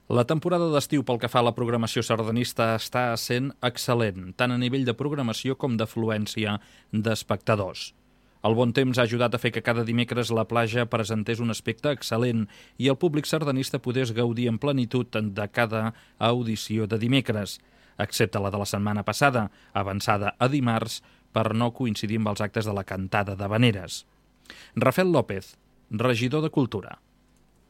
La temporada d'estiu pel que fa a la programació sardanista està sent excel·lent, tant a nivell de programació com d'afluència d'espectadors. El bon temps ha ajudat a fer que cada dimecres la platja presentés un aspecte excel·lent i el públic sardanista podés gaudir en plenitud de cada audició de dimecres, excepte la de la setmana passada, avançada a dimarts per no coincidir amb els actes de la cantada d'Havaneres. Rafael López, regidor de Cultura.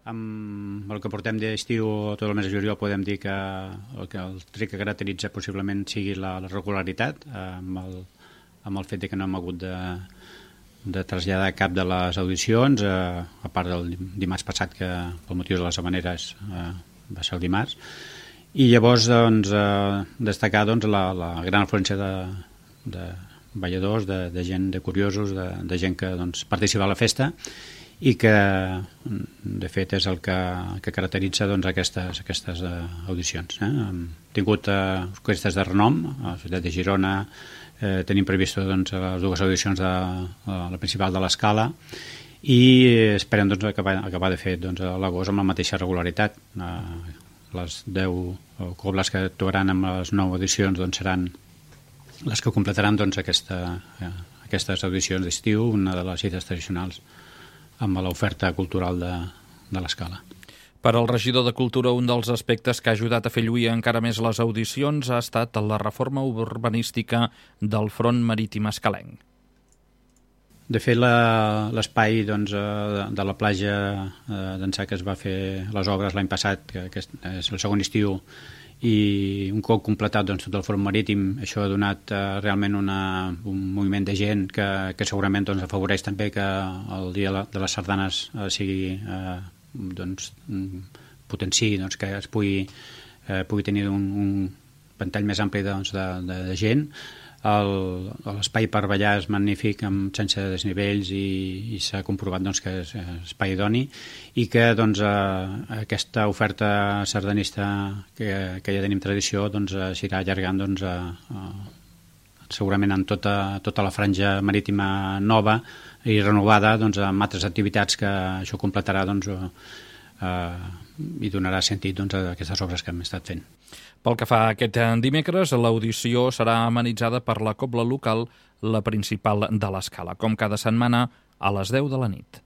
Amb el que portem d'estiu tot el mes de juliol podem dir que el tret que caracteritza possiblement sigui la regularitat, amb el fet de que no hem hagut de traslladar cap de les audicions, a part del dimarts passat, que pel motiu de les Havaneres va ser el dimarts. I llavors destacar la gran afluència de balladors, de gent, de curiosos, de gent que participa a la festa, i que de fet és el que caracteritza aquestes audicions. Hem tingut orquestres de renom a la ciutat de Girona, tenim previst les dues audicions de la principal de l'Escala i esperem acabar de fer a l'agost amb la mateixa regularitat. Les 10 cobles que actuaran amb les 9 audicions seran les que completaran aquestes audicions d'estiu, una de les cites tradicionals amb l'oferta cultural de l'Escala. Per al regidor de Cultura, un dels aspectes que ha ajudat a fer lluir encara més les audicions ha estat la reforma urbanística del front marítim escalenc. De fet, l'espai de la platja d'Ençà, que es va fer les obres l'any passat, que és el segon estiu, i un cop completat tot el front marítim, això ha donat realment un moviment de gent que segurament afavoreix també que el dia de les sardanes potenciï, que es pugui tenir un ventall més ampli de gent. L'espai per ballar és magnífic, sense desnivells, i s'ha comprovat que és espai idoni, i que aquesta oferta sardanista que ja tenim tradició s'irà allargant segurament en tota la franja marítima nova i renovada, amb altres activitats que això completarà i donarà sentit a aquestes obres que hem estat fent. Pel que fa a aquest dimecres, l'audició serà amenitzada per la cobla local, la principal de l'Escala, com cada setmana a les 10 de la nit.